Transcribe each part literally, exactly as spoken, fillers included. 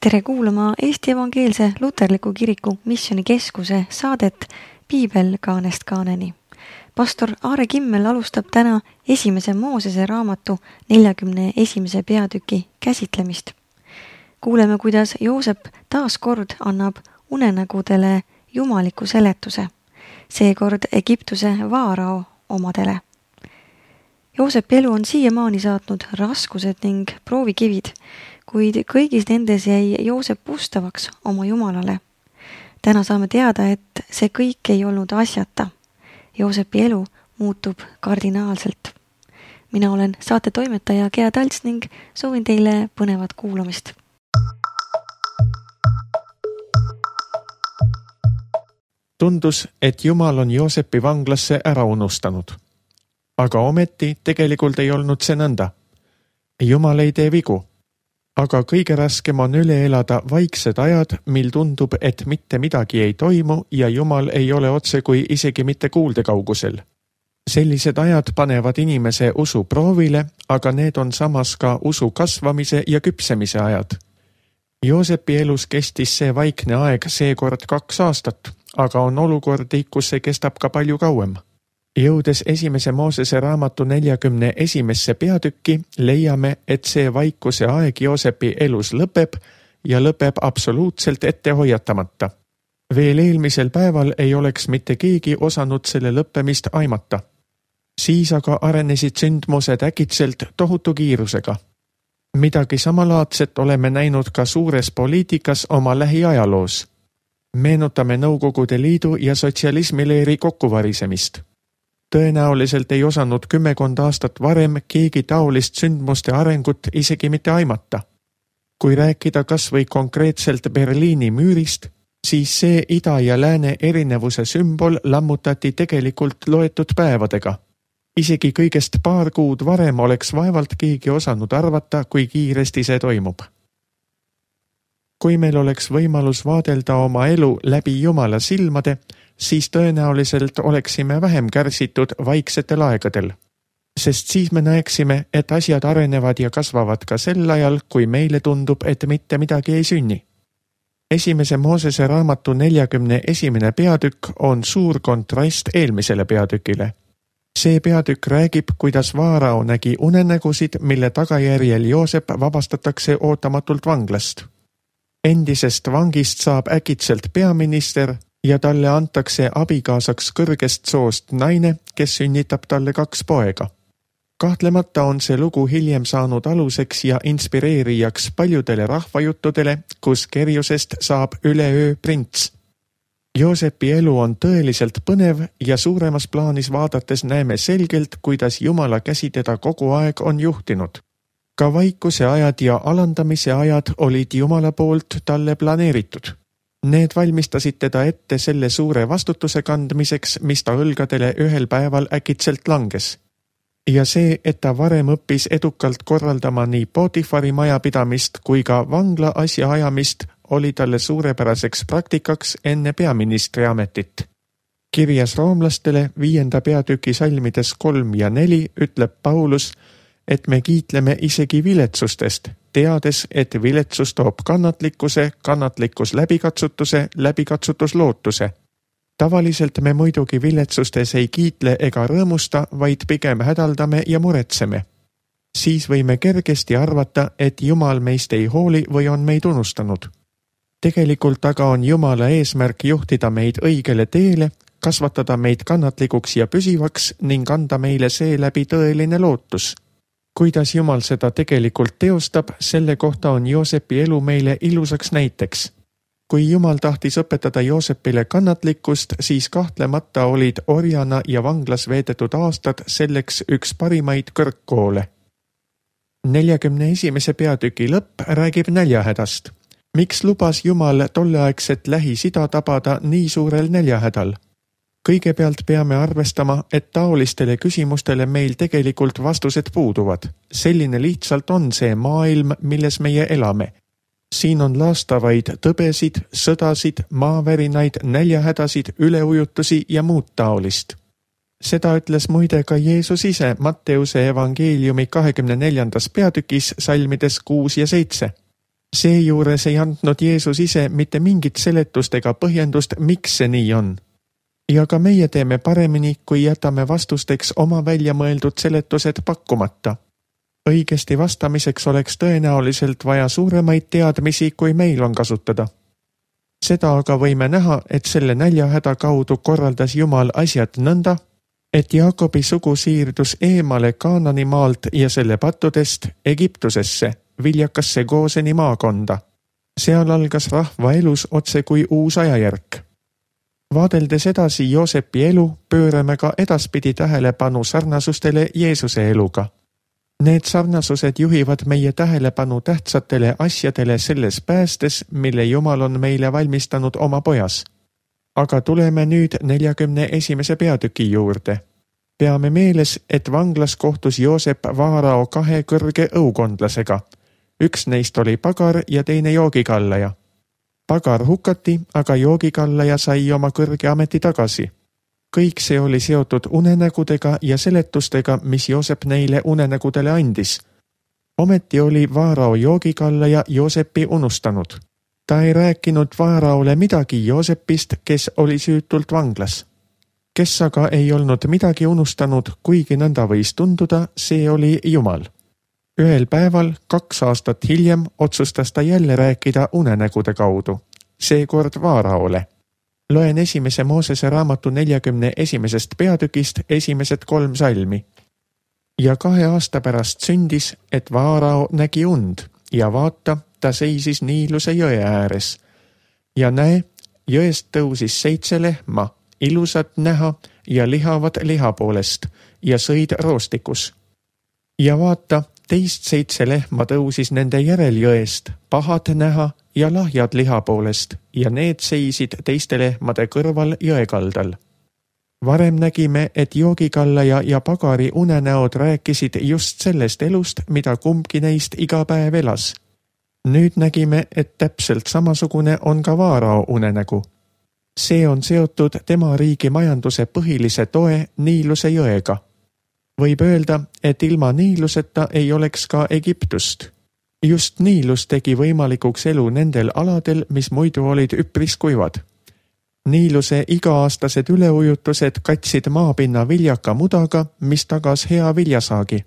Tere kuulama Eesti Evangeelse Luterliku Kiriku Missioonikeskuse saadet Piibel kaanest kaaneni. Pastor Aare Kimmel alustab täna esimese Moosese raamatu neljakümne esimese peatüki käsitlemist. Kuuleme, kuidas Joosep taas kord annab unenägudele jumaliku seletuse, seekord Egiptuse vaarao omadele. Joosepi elu on siiamaani saatnud raskused ning proovikivid, kuid kõigis nendes jäi Joosep ustavaks oma Jumalale. Täna saame teada, et see kõik ei olnud asjata. Joosepi elu muutub kardinaalselt. Mina olen saate toimetaja Gea Talts ning soovin teile põnevat kuulamist. Tundus, et Jumal on Joosepi vanglasse ära unustanud. Aga ometi tegelikult ei olnud see nõnda. Jumal ei tee vigu. Aga kõige raskem on üle elada vaiksed ajad, mil tundub, et mitte midagi ei toimu ja Jumal ei ole otse kui isegi mitte kuuldekaugusel. Sellised ajad panevad inimese usu proovile, aga need on samas ka usu kasvamise ja küpsemise ajad. Joosepi elus kestis see vaikne aeg seekord kaks aastat, aga on olukordi, kus see kestab ka palju kauem. Jõudes esimese Moosese raamatu neljakümne esimesse peatükki, leiame, et see vaikuse aeg Joosepi elus lõpeb ja lõpeb absoluutselt ette hoiatamata. Veel eelmisel päeval ei oleks mitte keegi osanud selle lõppemist aimata. Siis aga arenesid sündmused äkitselt tohutu kiirusega. Midagi samalaadset oleme näinud ka suures poliitikas oma lähiajaloos. Meenutame Nõukogude Liidu ja sotsialismileeri kokkuvarisemist. Tõenäoliselt ei osanud kümmekond aastat varem keegi taolist sündmuste arengut isegi mitte aimata. Kui rääkida kas või konkreetselt Berliini müürist, siis see ida ja lääne erinevuse sümbol lammutati tegelikult loetud päevadega. Isegi kõigest paar kuud varem oleks vaevalt keegi osanud arvata, kui kiiresti see toimub. Kui meil oleks võimalus vaadelda oma elu läbi Jumala silmade, siis tõenäoliselt oleksime vähem kärsitud vaiksetel aegadel. Sest siis me näeksime, et asjad arenevad ja kasvavad ka sel ajal, kui meile tundub, et mitte midagi ei sünni. Esimese Moosese raamatu neljakümne esimene peatükk on suur kontrast eelmisele peatükile. See peatükk räägib, kuidas vaarao nägi unenägusid, mille tagajärjel Joosep vabastatakse ootamatult vanglast. Endisest vangist saab äkitselt peaminister ja talle antakse abikaasaks kõrgest soost naine, kes sünnitab talle kaks poega. Kahtlemata on see lugu hiljem saanud aluseks ja inspireerijaks paljudele rahvajuttudele, kus kerjusest saab üleöö prints. Joosepi elu on tõeliselt põnev ja suuremas plaanis vaadates näeme selgelt, kuidas Jumala käsi teda kogu aeg on juhtinud. Ka vaikuse ajad ja alandamise ajad olid Jumala poolt talle planeeritud. Need valmistasid teda ette selle suure vastutuse kandmiseks, mis ta õlgadele ühel päeval äkitselt langes. Ja see, et ta varem õppis edukalt korraldama nii Potifari majapidamist kui ka vangla asja ajamist, oli talle suurepäraseks praktikaks enne peaministri ametit. Kirjas roomlastele viienda peatüki salmides kolm ja neli ütleb Paulus, et me kiitleme isegi viletsustest, teades, et viletsus toob kannatlikkuse, kannatlikkus läbikatsutuse, läbikatsutus lootuse. Tavaliselt me muidugi viletsustes ei kiitle ega rõõmusta, vaid pigem hädaldame ja muretseme. Siis võime kergesti arvata, et Jumal meist ei hooli või on meid unustanud. Tegelikult aga on Jumala eesmärk juhtida meid õigele teele, kasvatada meid kannatlikuks ja püsivaks ning anda meile seeläbi tõeline lootus. Kuidas Jumal seda tegelikult teostab, selle kohta on Joosepi elu meile ilusaks näiteks. Kui Jumal tahtis õpetada Joosepile kannatlikkust, siis kahtlemata olid orjana ja vanglas veedetud aastad selleks üks parimaid kõrgkoole. neljakümne esimese peatüki lõpp räägib näljahädast. Miks lubas Jumal tolleaegset Lähis-Ida tabada nii suurel näljahädal? Kõigepealt peame arvestama, et taolistele küsimustele meil tegelikult vastused puuduvad. Selline lihtsalt on see maailm, milles meie elame. Siin on laastavaid tõbesid, sõdasid, maavärinaid, näljahädasid, üleujutusi ja muud taolist. Seda ütles muide ka Jeesus ise Matteuse evangeeliumi kahekümne neljandas peatükis salmides kuus ja seitse. Seejuures ei andnud Jeesus ise mitte mingit seletust ega põhjendust, miks see nii on. Ja ka meie teeme paremini, kui jätame vastusteks oma välja mõeldud seletused pakkumata. Õigesti vastamiseks oleks tõenäoliselt vaja suuremaid teadmisi, kui meil on kasutada. Seda aga võime näha, et selle näljahäda kaudu korraldas Jumal asjad nõnda, et Jaakobi sugu siirdus eemale Kaanani maalt ja selle pattudest Egiptusesse, viljakasse Gooseni maakonda. Seal algas rahva elus otse kui uus ajajärk. Vaadeldes edasi Joosepi elu, pöörame ka edaspidi tähelepanu sarnasustele Jeesuse eluga. Need sarnasused juhivad meie tähelepanu tähtsatele asjadele selles päästes, mille Jumal on meile valmistanud oma pojas. Aga tuleme nüüd neljakümne esimese peatüki juurde. Peame meeles, et vanglas kohtus Joosep Vaarao kahe kõrge õukondlasega. Üks neist oli pagar ja teine joogikallaja. Pagar hukati, aga joogikallaja sai oma kõrge ameti tagasi. Kõik see oli seotud unenägudega ja seletustega, mis Joosep neile unenägudele andis. Ometi oli Vaarao joogikallaja Joosepi unustanud. Ta ei rääkinud Vaaraole midagi Joosepist, kes oli süütult vanglas. Kes aga ei olnud midagi unustanud, kuigi nõnda võis tunduda, see oli Jumal. Ühel päeval, kaks aastat hiljem, otsustas ta jälle rääkida unenägude kaudu. Seekord Vaaraole. Loen esimese Moosese raamatu neljakümne esimesest peatükist esimesed kolm salmi. Ja kahe aasta pärast sündis, et Vaarao nägi und ja vaata, ta seisis Niiluse jõe ääres. Ja näe, jõest tõusis seitse lehma, ilusad näha ja lihavad liha poolest ja sõid roostikus. Ja vaata, teist seitse lehma tõusis nende järel jõest, pahad näha ja lahjad liha poolest ja need seisid teiste lehmade kõrval jõekaldal. Varem nägime, et joogikallaja ja pagari unenäod rääkisid just sellest elust, mida kumbki neist iga päev elas. Nüüd nägime, et täpselt samasugune on ka Vaarao unenägu. See on seotud tema riigi majanduse põhilise toe Niiluse jõega. Võib öelda, et ilma Niiluseta ei oleks ka Egiptust. Just Niilus tegi võimalikuks elu nendel aladel, mis muidu olid üpris kuivad. Niiluse iga-aastased üleujutused katsid maapinna viljaka mudaga, mis tagas hea viljasaagi.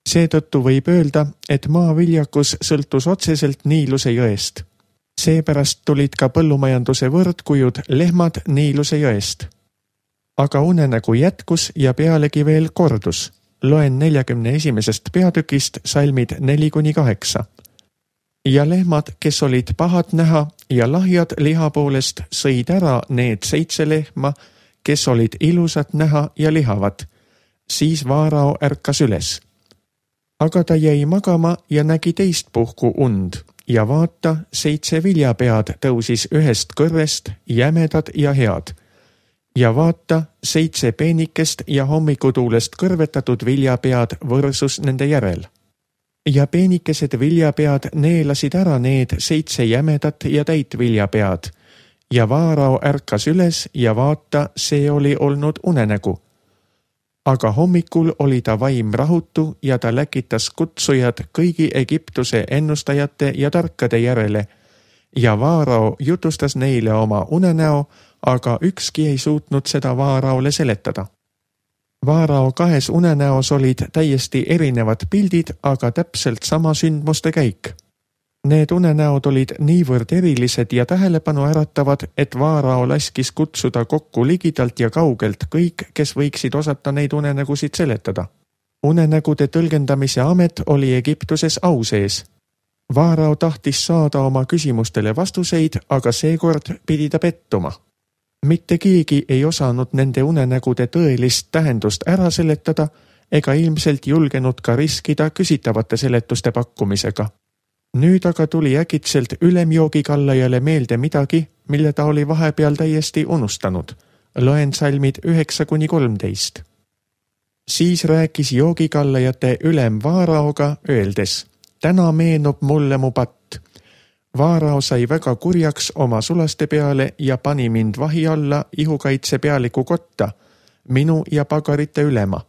Seetõttu võib öelda, et maaviljakus sõltus otseselt Niiluse jõest. Seepärast tulid ka põllumajanduse võrdkujud lehmad Niiluse jõest. Aga unenägu jätkus ja pealegi veel kordus. Loen neljakümne esimesest peatükist salmid neli kuni kaheksa. Ja lehmad, kes olid pahad näha ja lahjad liha poolest, sõid ära need seitse lehma, kes olid ilusad näha ja lihavad. Siis Vaarao ärkas üles. Aga ta jäi magama ja nägi teist puhku und ja vaata, seitse viljapead tõusis ühest kõrrest, jämedad ja head. Ja vaata, seitse peenikest ja hommikutuulest kõrvetatud viljapead võrsus nende järel. Ja peenikesed viljapead neelasid ära need seitse jämedat ja täit viljapead. Ja Vaarao ärkas üles ja vaata, see oli olnud unenägu. Aga hommikul oli ta vaim rahutu ja ta läkitas kutsujad kõigi Egiptuse ennustajate ja tarkade järele. Ja Vaarao jutustas neile oma unenäo, aga ükski ei suutnud seda Vaaraole seletada. Vaarao kahes unenäos olid täiesti erinevad pildid, aga täpselt sama sündmuste käik. Need unenäod olid niivõrd erilised ja tähelepanu äratavad, et Vaarao laskis kutsuda kokku ligidalt ja kaugelt kõik, kes võiksid osata neid unenägusid seletada. Unenägude tõlgendamise amet oli Egiptuses au sees. Vaarao tahtis saada oma küsimustele vastuseid, aga seekord pidi ta pettuma. Mitte keegi ei osanud nende unenägude tõelist tähendust ära seletada ega ilmselt julgenud ka riskida küsitavate seletuste pakkumisega. Nüüd aga tuli äkitselt ülemjoogikallajale meelde midagi, mille ta oli vahepeal täiesti unustanud. Loen salmid üheksa kuni kolmteist. Siis rääkis joogikallajate ülem Vaaraoga, öeldes, täna meenub mulle mu patt. Vaarao sai väga kurjaks oma sulaste peale ja pani mind vahi alla ihukaitse pealiku kotta, minu ja pagarite ülema.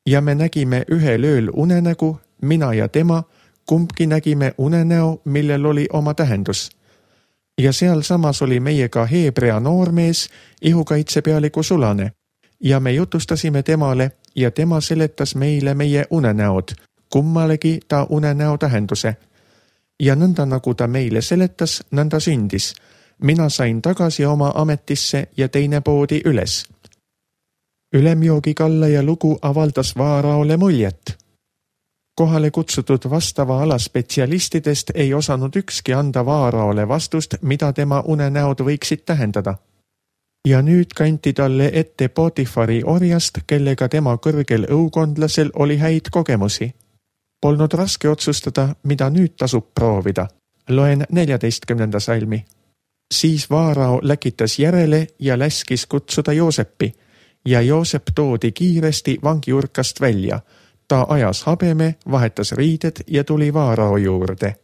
Ja me nägime ühel ööl unenägu, mina ja tema, kumbki nägime unenäo, millel oli oma tähendus. Ja sealsamas oli meiega Heebrea noormees, ihukaitsepealiku Sulane, ja me jutustasime temale ja tema seletas meile meie unenäod, kummalegi ta unenäo tähenduse. Ja nõnda nagu ta meile seletas, nõnda sündis. Mina sain tagasi oma ametisse ja teine poodi üles. Ülemjoogi kallaja lugu avaldas Vaaraole muljet. Kohale kutsutud vastava ala spetsialistidest ei osanud ükski anda Vaaraole vastust, mida tema unenäod võiksid tähendada. Ja nüüd kanti talle ette Potifari orjast, kellega tema kõrgel õukondlasel oli häid kogemusi. Polnud raske otsustada, mida nüüd tasub proovida. Loen neljateistkümnenda salmi. Siis Vaarao läkitas järele ja läskis kutsuda Joosepi, ja Joosep toodi kiiresti vangiurkast välja. Ta ajas habeme, vahetas riided ja tuli Vaarao juurde.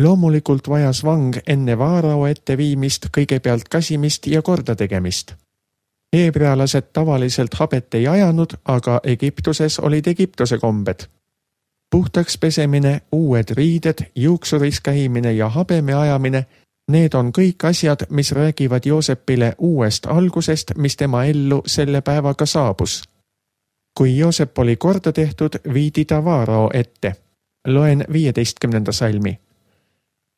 Loomulikult vajas vang enne Vaarao etteviimist kõigepealt kasimist ja korda tegemist. Heebrealased tavaliselt habet ei ajanud, aga Egiptuses olid Egiptuse kombed. Puhtaks pesemine, uued riided, juuksuris käimine ja habeme ajamine, need on kõik asjad, mis räägivad Joosepile uuest algusest, mis tema ellu selle päevaga saabus. Kui Joosep oli korda tehtud, viidi ta Vaarao ette. Loen viieteistkümnenda salmi.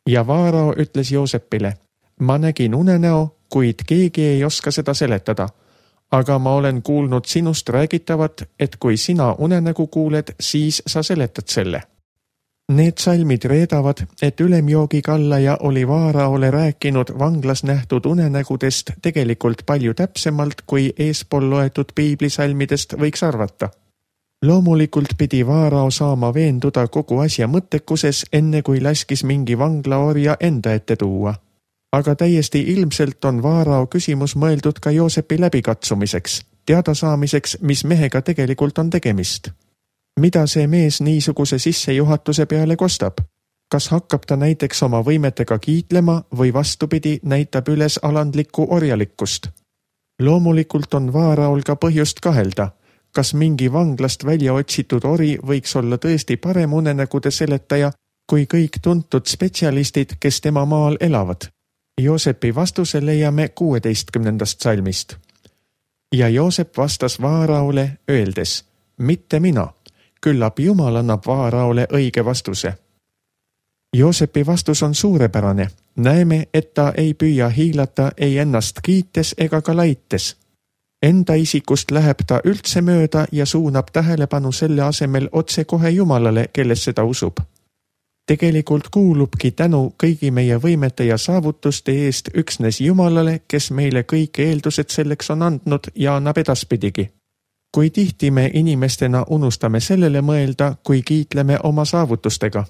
Ja Vaarao ütles Joosepile, ma nägin unenäo, kuid keegi ei oska seda seletada. Aga ma olen kuulnud sinust räägitavat, et kui sina unenägu kuuled, siis sa seletad selle. Need salmid reedavad, et ülemjoogi kallaja oli Vaaraole rääkinud vanglas nähtud unenägudest tegelikult palju täpsemalt, kui eespool loetud piiblisalmidest võiks arvata. Loomulikult pidi Vaarao saama veenduda kogu asja mõttekuses, enne kui laskis mingi vanglaorja enda ette tuua. Aga täiesti ilmselt on Vaarao küsimus mõeldud ka Joosepi läbikatsumiseks, teada saamiseks, mis mehega tegelikult on tegemist. Mida see mees niisuguse sissejuhatuse peale kostab? Kas hakkab ta näiteks oma võimetega kiitlema või vastupidi näitab üles alandlikku orjalikkust? Loomulikult on Vaaraol ka põhjust kahelda. Kas mingi vanglast välja otsitud ori võiks olla tõesti parem unenägude seletaja kui kõik tuntud spetsialistid, kes tema maal elavad? Joosepi vastuse leiame kuueteistkümnendast salmist. Ja Joosep vastas Vaaraole öeldes, mitte mina, küllap Jumal annab Vaaraole õige vastuse. Joosepi vastus on suurepärane. Näeme, et ta ei püüa hiilata ei ennast kiites ega ka laites. Enda isikust läheb ta üldse mööda ja suunab tähelepanu selle asemel otse kohe Jumalale, kelles seda usub. Tegelikult kuulubki tänu kõigi meie võimete ja saavutuste eest üksnes Jumalale, kes meile kõik eeldused selleks on andnud ja annab edaspidigi. Kui tihti me inimestena unustame sellele mõelda, kui kiitleme oma saavutustega.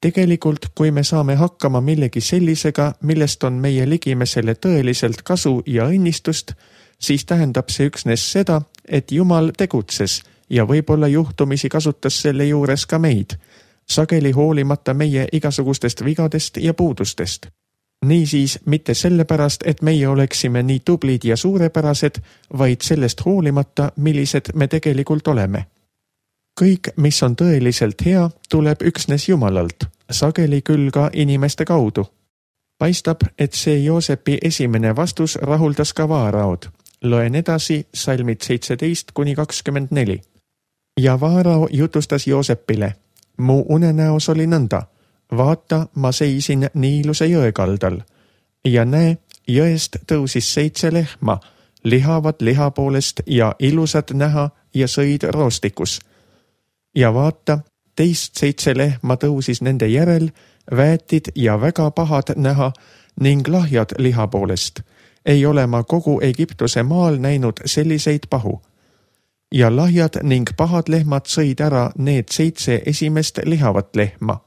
Tegelikult, kui me saame hakkama millegi sellisega, millest on meie ligimesele tõeliselt kasu ja õnnistust, siis tähendab see üksnes seda, et Jumal tegutses ja võib-olla juhtumisi kasutas selle juures ka meid, sageli hoolimata meie igasugustest vigadest ja puudustest. Niisiis mitte sellepärast, et meie oleksime nii tublid ja suurepärased, vaid sellest hoolimata, millised me tegelikult oleme. Kõik, mis on tõeliselt hea, tuleb üksnes Jumalalt, sageli küll ka inimeste kaudu. Paistab, et see Joosepi esimene vastus rahuldas ka Vaaraod. Loen edasi salmid seitseteist kuni kakskümmend neli. Ja Vaarao jutustas Joosepile. Mu unenäos oli nõnda. Vaata, ma seisin Niiluse jõe kaldal. Ja näe, jõest tõusis seitse lehma, lihavad liha poolest ja ilusad näha ja sõid roostikus. Ja vaata, teist seitse lehma tõusis nende järel, väetid ja väga pahad näha ning lahjad liha poolest. Ei ole ma kogu Egiptuse maal näinud selliseid pahu. Ja lahjad ning pahad lehmad sõid ära need seitse esimest lihavat lehma.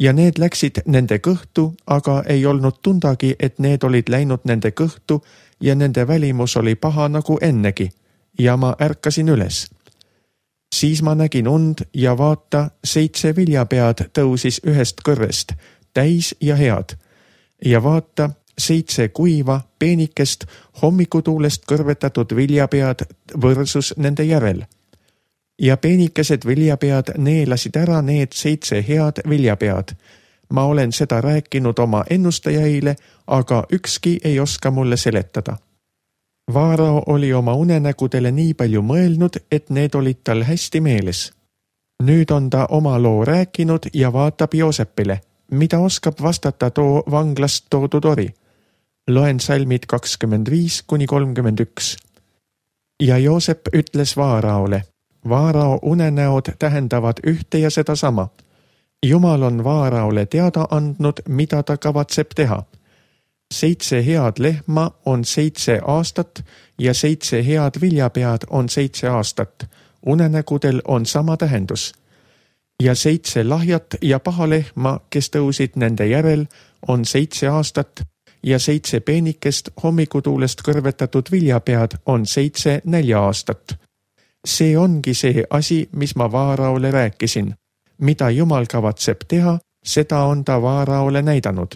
Ja need läksid nende kõhtu, aga ei olnud tundagi, et need olid läinud nende kõhtu ja nende välimus oli paha nagu ennegi. Ja ma ärkasin üles. Siis ma nägin und ja vaata, seitse viljapead tõusis ühest kõrrest, täis ja head. Ja vaata, seitse kuiva, peenikest, hommikutuulest kõrvetatud viljapead võrsus nende järel. ja peenikesed viljapead neelasid ära need seitse head viljapead. Ma olen seda rääkinud oma ennustajaile, aga ükski ei oska mulle seletada. Vaarao oli oma unenägudele nii palju mõelnud, et need olid tal hästi meeles. Nüüd on ta oma loo rääkinud ja vaatab Joosepile, mida oskab vastata too vanglast toodud ori. Loen salmid kakskümmend viis kuni kolmkümmend üks. Ja Joosep ütles Vaaraole, Vaarao unenäod tähendavad ühte ja seda sama. Jumal on Vaaraole teada andnud, mida ta kavatseb teha. Seitse head lehma on seitse aastat ja seitse head viljapead on seitse aastat. Unenägudel on sama tähendus. Ja seitse lahjat ja paha lehma, kes tõusid nende järel, on seitse aastat ja seitse peenikest hommikutuulest kõrvetatud viljapead on seitse nälja aastat. See ongi see asi, mis ma Vaaraole rääkisin. Mida Jumal kavatseb teha, seda on ta Vaaraole näidanud.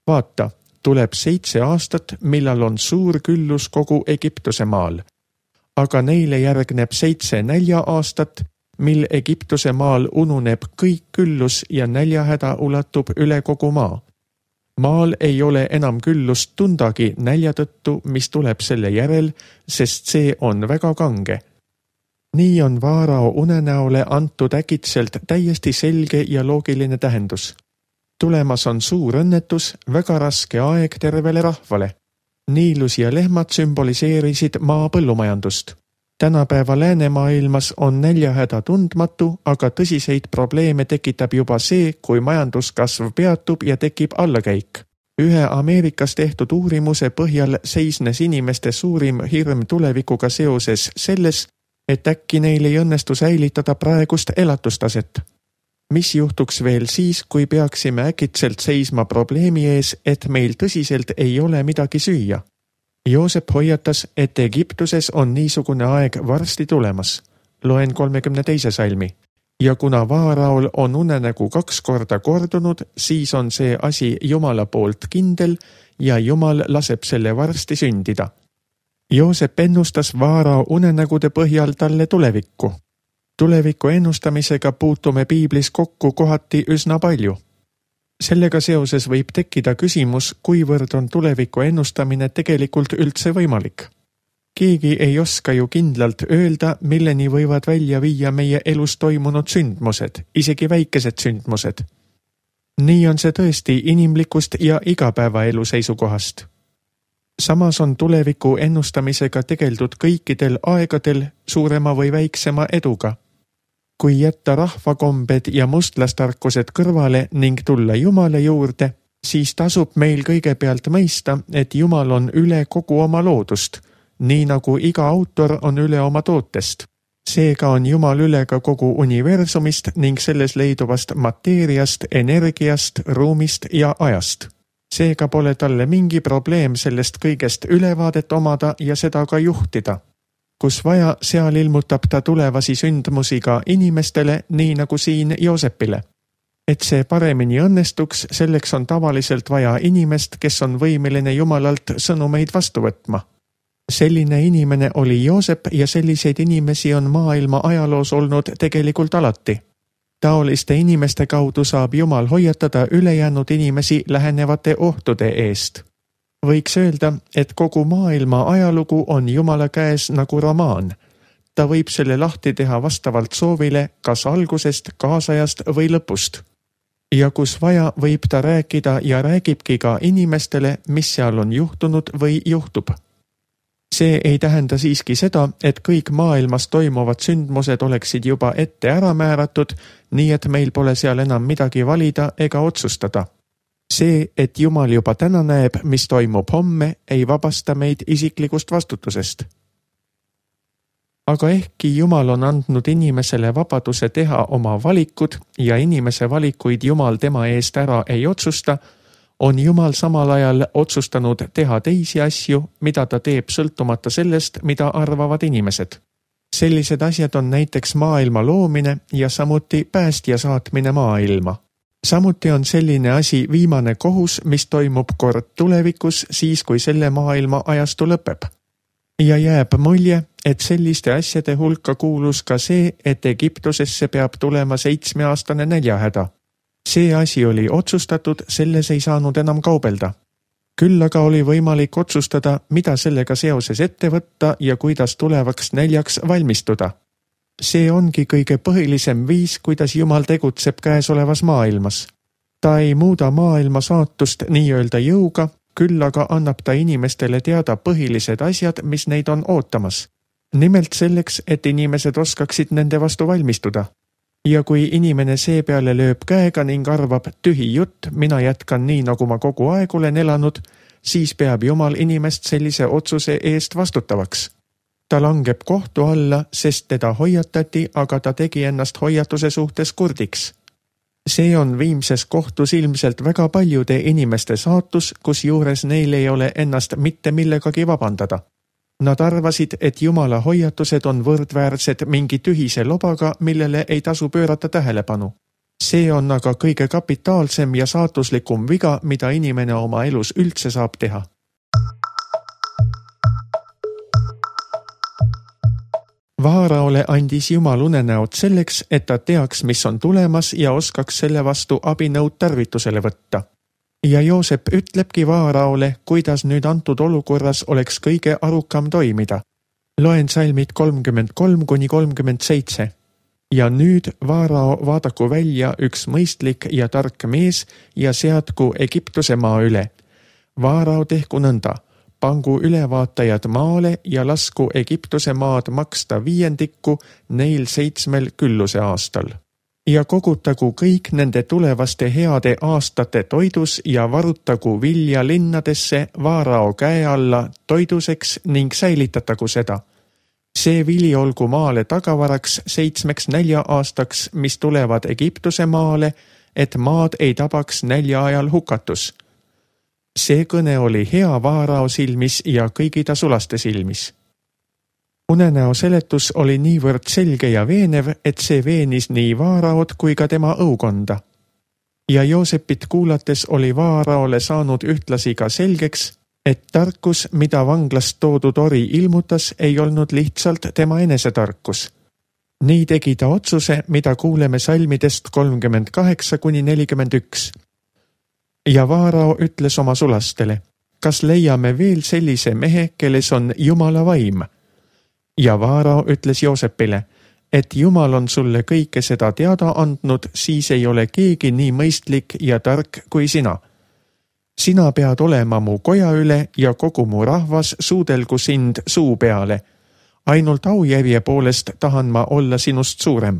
Vaata, tuleb seitse aastat, millal on suur küllus kogu Egiptuse maal. Aga neile järgneb seitse nälja aastat, mil Egiptuse maal ununeb kõik küllus ja näljahäda ulatub üle kogu maa. Maal ei ole enam küllust tundagi nälja tõttu, mis tuleb selle järel, sest see on väga kange. Nii on Vaarao unenäole antud äkitselt täiesti selge ja loogiline tähendus. Tulemas on suur õnnetus, väga raske aeg tervele rahvale. Niilus ja lehmad sümboliseerisid maa põllumajandust. Tänapäeva läänemaailmas on näljahäda tundmatu, aga tõsiseid probleeme tekitab juba see, kui majanduskasv peatub ja tekib allakäik. Ühe Ameerikas tehtud uurimuse põhjal seisnes inimeste suurim hirm tulevikuga seoses selles, et äkki neil ei õnnestu säilitada praegust elatustaset. Mis juhtuks veel siis, kui peaksime äkitselt seisma probleemi ees, et meil tõsiselt ei ole midagi süüa? Joosep hoiatas, et Egiptuses on niisugune aeg varsti tulemas. Loen kolmekümne teise salmi. Ja kuna Vaaraol on unenägu kaks korda kordunud, siis on see asi Jumala poolt kindel ja Jumal laseb selle varsti sündida. Joosep ennustas Vaarao unenägude põhjal talle tulevikku. Tuleviku ennustamisega puutume piiblis kokku kohati üsna palju. Sellega seoses võib tekkida küsimus, kuivõrd on tuleviku ennustamine tegelikult üldse võimalik. Keegi ei oska ju kindlalt öelda, milleni võivad välja viia meie elus toimunud sündmused, isegi väikesed sündmused. Nii on see tõesti inimlikust ja igapäevaelu seisukohast. Samas on tuleviku ennustamisega tegeldud kõikidel aegadel suurema või väiksema eduga. Kui jätta rahvakombed ja mustlastarkused kõrvale ning tulla Jumala juurde, siis tasub meil kõigepealt mõista, et Jumal on üle kogu oma loodust, nii nagu iga autor on üle oma tootest. Seega on Jumal üle ka kogu universumist ning selles leiduvast mateeriast, energiast, ruumist ja ajast. Seega pole talle mingi probleem sellest kõigest ülevaadet omada ja seda ka juhtida. Kus vaja, seal ilmutab ta tulevasi sündmusi ka inimestele, nii nagu siin Joosepile. Et see paremini õnnestuks, selleks on tavaliselt vaja inimest, kes on võimeline Jumalalt sõnumeid vastu võtma. Selline inimene oli Joosep ja selliseid inimesi on maailma ajaloos olnud tegelikult alati. Taoliste inimeste kaudu saab Jumal hoiatada ülejäänud inimesi lähenevate ohtude eest. Võiks öelda, et kogu maailma ajalugu on Jumala käes nagu romaan. Ta võib selle lahti teha vastavalt soovile kas algusest, kaasajast või lõpust. Ja kus vaja, võib ta rääkida ja räägibki ka inimestele, mis seal on juhtunud või juhtub. See ei tähenda siiski seda, et kõik maailmas toimuvad sündmused oleksid juba ette ära määratud, nii et meil pole seal enam midagi valida ega otsustada. See, et Jumal juba täna näeb, mis toimub homme, ei vabasta meid isiklikust vastutusest. Aga ehkki Jumal on andnud inimesele vabaduse teha oma valikud ja inimese valikuid Jumal tema eest ära ei otsusta, on Jumal samal ajal otsustanud teha teisi asju, mida ta teeb sõltumata sellest, mida arvavad inimesed. Sellised asjad on näiteks maailma loomine ja samuti päästja saatmine maailma. Samuti on selline asi viimane kohus, mis toimub kord tulevikus, siis kui selle maailma ajastu lõpeb. Ja jääb mulje, et selliste asjade hulka kuulus ka see, et Egiptusesse peab tulema seitsmeaastane näljahäda. See asi oli otsustatud, selles ei saanud enam kaubelda. Küll aga oli võimalik otsustada, mida sellega seoses ette võtta ja kuidas tulevaks näljaks valmistuda. See ongi kõige põhilisem viis, kuidas Jumal tegutseb käesolevas maailmas. Ta ei muuda maailma saatust nii-öelda jõuga, küll aga annab ta inimestele teada põhilised asjad, mis neid on ootamas. Nimelt selleks, et inimesed oskaksid nende vastu valmistuda. Ja kui inimene seepeale lööb käega ning arvab tühi jutt, mina jätkan nii, nagu ma kogu aeg olen elanud, siis peab Jumal inimest sellise otsuse eest vastutavaks. Ta langeb kohtu alla, sest teda hoiatati, aga ta tegi ennast hoiatuse suhtes kurdiks. See on viimses kohtus ilmselt väga paljude inimeste saatus, kus juures neil ei ole ennast mitte millegagi vabandada. Nad arvasid, et Jumala hoiatused on võrdväärsed mingi tühise lobaga, millele ei tasu pöörata tähelepanu. See on aga kõige kapitaalsem ja saatuslikum viga, mida inimene oma elus üldse saab teha. Vaaraole andis Jumal unenäod selleks, et ta teaks, mis on tulemas ja oskaks selle vastu abinõud tarvitusele võtta. Ja Joosep ütlebki Vaaraole, kuidas nüüd antud olukorras oleks kõige arukam toimida. Loen salmid kolmkümmend kolm kuni kolmkümmend seitse. Ja nüüd, Vaarao, vaadaku välja üks mõistlik ja tark mees ja seadku Egiptuse maa üle. Vaarao tehku nõnda. Pangu ülevaatajad maale ja lasku Egiptuse maad maksta viiendikku neil seitsmel külluse aastal. Ja kogutagu kõik nende tulevaste heade aastate toidus ja varutagu vilja linnadesse Vaarao käe alla toiduseks ning säilitatagu seda. See vili olgu maale tagavaraks seitsmeks nälja aastaks, mis tulevad Egiptuse maale, et maad ei tabaks nälja ajal hukatus. See kõne oli hea Vaarao silmis ja kõigi ta sulaste silmis. Unenäo seletus oli niivõrd selge ja veenev, et see veenis nii Vaaraod kui ka tema õukonda. Ja Joosepit kuulates oli Vaaraole saanud ühtlasi ka selgeks, et tarkus, mida vanglast toodud ori ilmutas, ei olnud lihtsalt tema enesetarkus. Nii tegi ta otsuse, mida kuuleme salmidest kolmkümmend kaheksa kuni nelikümmend üks. Ja Vaarao ütles oma sulastele, kas leiame veel sellise mehe, kelles on Jumala vaim? Ja Vaarao ütles Joosepile, et Jumal on sulle kõike seda teada andnud, siis ei ole keegi nii mõistlik ja tark kui sina. Sina pead olema mu koja üle ja kogu mu rahvas suudelgu sind suu peale. Ainult aujärje poolest tahan ma olla sinust suurem.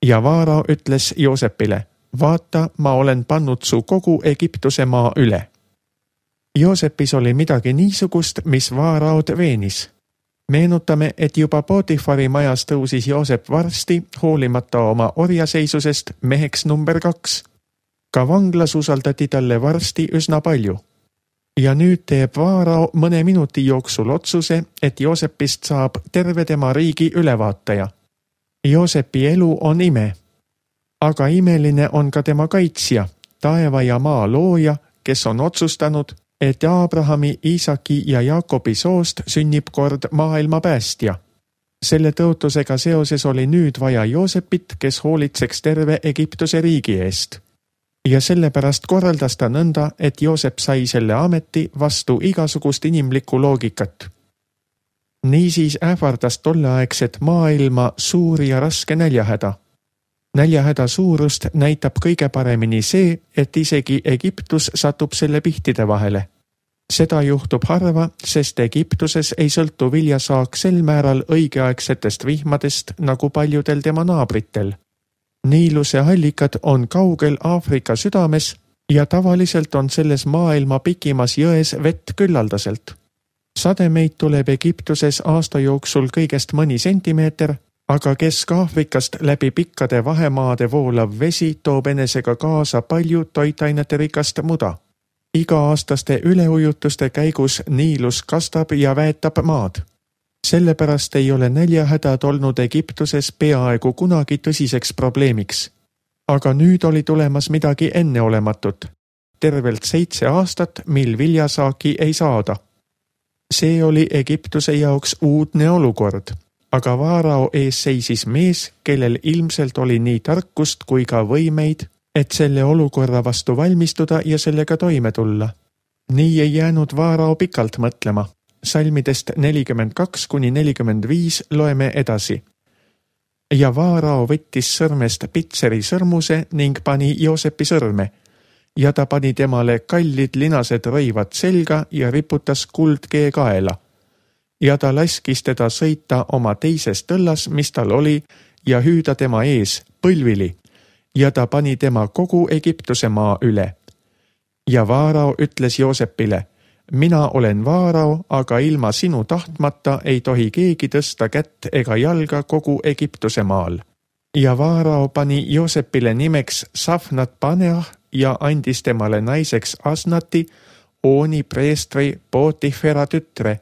Ja Vaarao ütles Joosepile, vaata, ma olen pannud su kogu Egiptuse maa üle. Joosepis oli midagi niisugust, mis Vaaraod veenis. Meenutame, et juba Potifari majas tõusis Joosep varsti, hoolimata oma orjaseisusest, meheks number kaks. Ka vanglas usaldati talle varsti üsna palju. Ja nüüd teeb Vaarao mõne minuti jooksul otsuse, et Joosepist saab terve tema riigi ülevaataja. Joosepi elu on ime. Aga imeline on ka tema kaitsja, taeva ja maa looja, kes on otsustanud, et Abrahami, Iisaki ja Jaakobi soost sünnib kord maailma päästja. Selle tõotusega seoses oli nüüd vaja Joosepit, kes hoolitseks terve Egiptuse riigi eest. Ja sellepärast korraldas ta nõnda, et Joosep sai selle ameti vastu igasugust inimlikku loogikat. Niisiis ähvardas tolleaegset maailma suur ja raske näljahäda. Näljahäda suurust näitab kõige paremini see, et isegi Egiptus satub selle pihtide vahele. Seda juhtub harva, sest Egiptuses ei sõltu viljasaak sel määral õigeaegsetest vihmadest nagu paljudel tema naabritel. Niiluse allikad on kaugel Aafrika südames ja tavaliselt on selles maailma pikimas jões vett küllaldaselt. Sademeid tuleb Egiptuses aasta jooksul kõigest mõni sentimeeter, aga Kesk-Aafrikast läbi pikkade vahemaade voolav vesi toob enesega kaasa palju toitainete rikast muda. Iga-aastaste üleujutuste käigus Niilus kastab ja väetab maad. Sellepärast ei ole näljahädad olnud Egiptuses peaaegu kunagi tõsiseks probleemiks. Aga nüüd oli tulemas midagi enneolematut. Tervelt seitse aastat, mil viljasaaki ei saada. See oli Egiptuse jaoks uudne olukord, aga Vaarao ees seisis mees, kellel ilmselt oli nii tarkust kui ka võimeid, et selle olukorra vastu valmistuda ja sellega toime tulla. Nii ei jäänud Vaarao pikalt mõtlema. Salmidest nelikümmend kaks kuni nelikümmend viis loeme edasi. Ja Vaarao võttis sõrmest Pitseri sõrmuse ning pani Joosepi sõrme, ja ta pani temale kallid linased rõivad selga ja riputas kuldkee kaela. Ja ta laskis teda sõita oma teises tõllas, mis tal oli, ja hüüda tema ees põlvili, ja ta pani tema kogu Egiptuse maa üle. Ja Vaarao ütles Joosepile, mina olen Vaarao, aga ilma sinu tahtmata ei tohi keegi tõsta kätt ega jalga kogu Egiptuse maal. Ja Vaarao pani Joosepile nimeks Safnat Paneah ja andis temale naiseks Asnati, Ooni preestri Potifera tütre,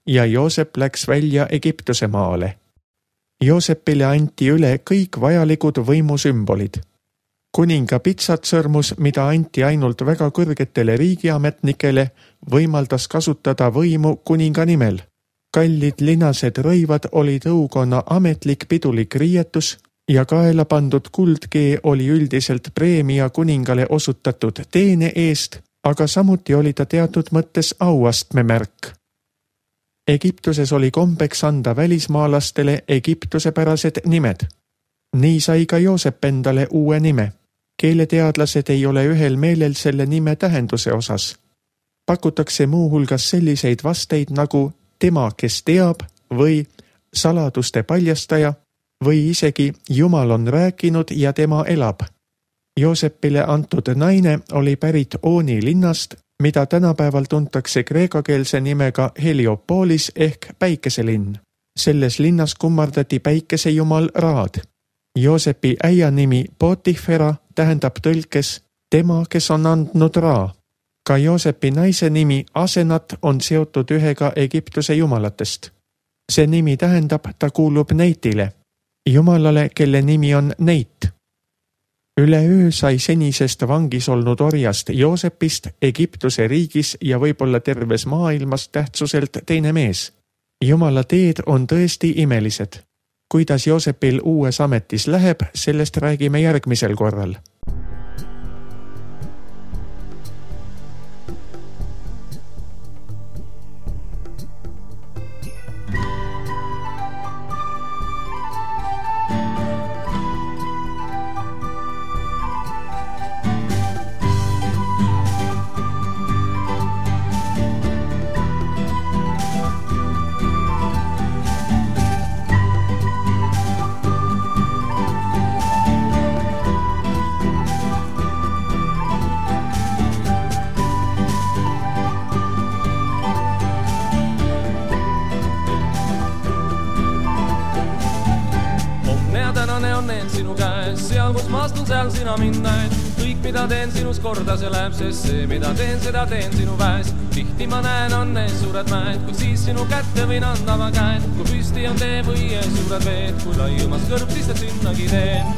ja Joosep läks välja Egiptuse maale. Joosepile anti üle kõik vajalikud võimusümbolid. Kuninga pitsatsõrmus, mida anti ainult väga kõrgetele riigiametnikele, võimaldas kasutada võimu kuninga nimel. Kallid linased rõivad oli tõukonna ametlik pidulik riietus ja kaela pandud kuldkee oli üldiselt preemia kuningale osutatud teene eest, aga samuti oli ta teatud mõttes auastme märk. Egiptuses oli kombeks anda välismaalastele egiptusepärased nimed. Nii sai ka Joosep endale uue nime. Keeleteadlased ei ole ühel meelel selle nime tähenduse osas. Pakutakse muuhulgas selliseid vasteid nagu tema, kes teab, või saladuste paljastaja, või isegi Jumal on rääkinud ja tema elab. Joosepile antud naine oli pärit Ooni linnast, mida tänapäeval tuntakse kreekakeelse nimega Heliopolis ehk päikeselinn. Selles linnas kummardati päikesejumal Raad. Joosepi äia nimi Potifera tähendab tõlkes tema, kes on andnud Raa. Ka Joosepi naise nimi Asenat on seotud ühega Egiptuse jumalatest. See nimi tähendab, ta kuulub Neitile, jumalale, kelle nimi on Neit. Üleöö sai senisest vangis olnud orjast Joosepist Egiptuse riigis ja võib-olla terves maailmas tähtsuselt teine mees. Jumala teed on tõesti imelised. Kuidas Joosepil uues ametis läheb, sellest räägime järgmisel korral. Seal, kus ma astun, seal sina mind näed. Kõik, mida teen sinus korda, see läheb, sest see, mida teen, seda teen sinu väes. Tihti ma näen, on ees suured mäed, kui siis sinu kätte võin anda ma käed. Kui püsti on tee või ees suured veed, kui laiumas kõrb, siis ta sinnagi teen.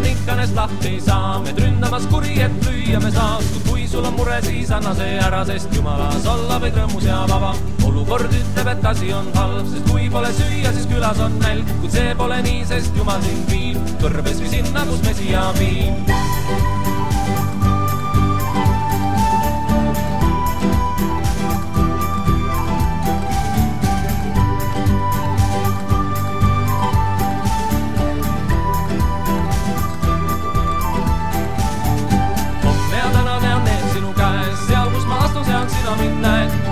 Ikkanest lahti ei saa, me ründamas kuri, et lüüa me saas. Kui sul on mure, siis anna see ära, sest Jumalas olla võid rõõmus ja vaba. Olukord ütleb, et asi on halb, sest kui pole süüa, siis külas on nälg. Kuid see pole nii, sest Jumal sind viib kõrbes või sinna, kus Messia viib.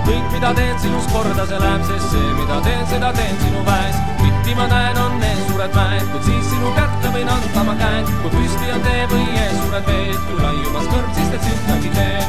Kõik, mida teen sinus korda, see läheb, sest see, mida teen, seda teen sinu väes. Tihti ma näen, on ees suured mäed, kuid siis sinu kätte võin anda ma käed. Kui püsti on tee või ees suured veed, kui laiumas kõrb, siis teed sinnagi tee.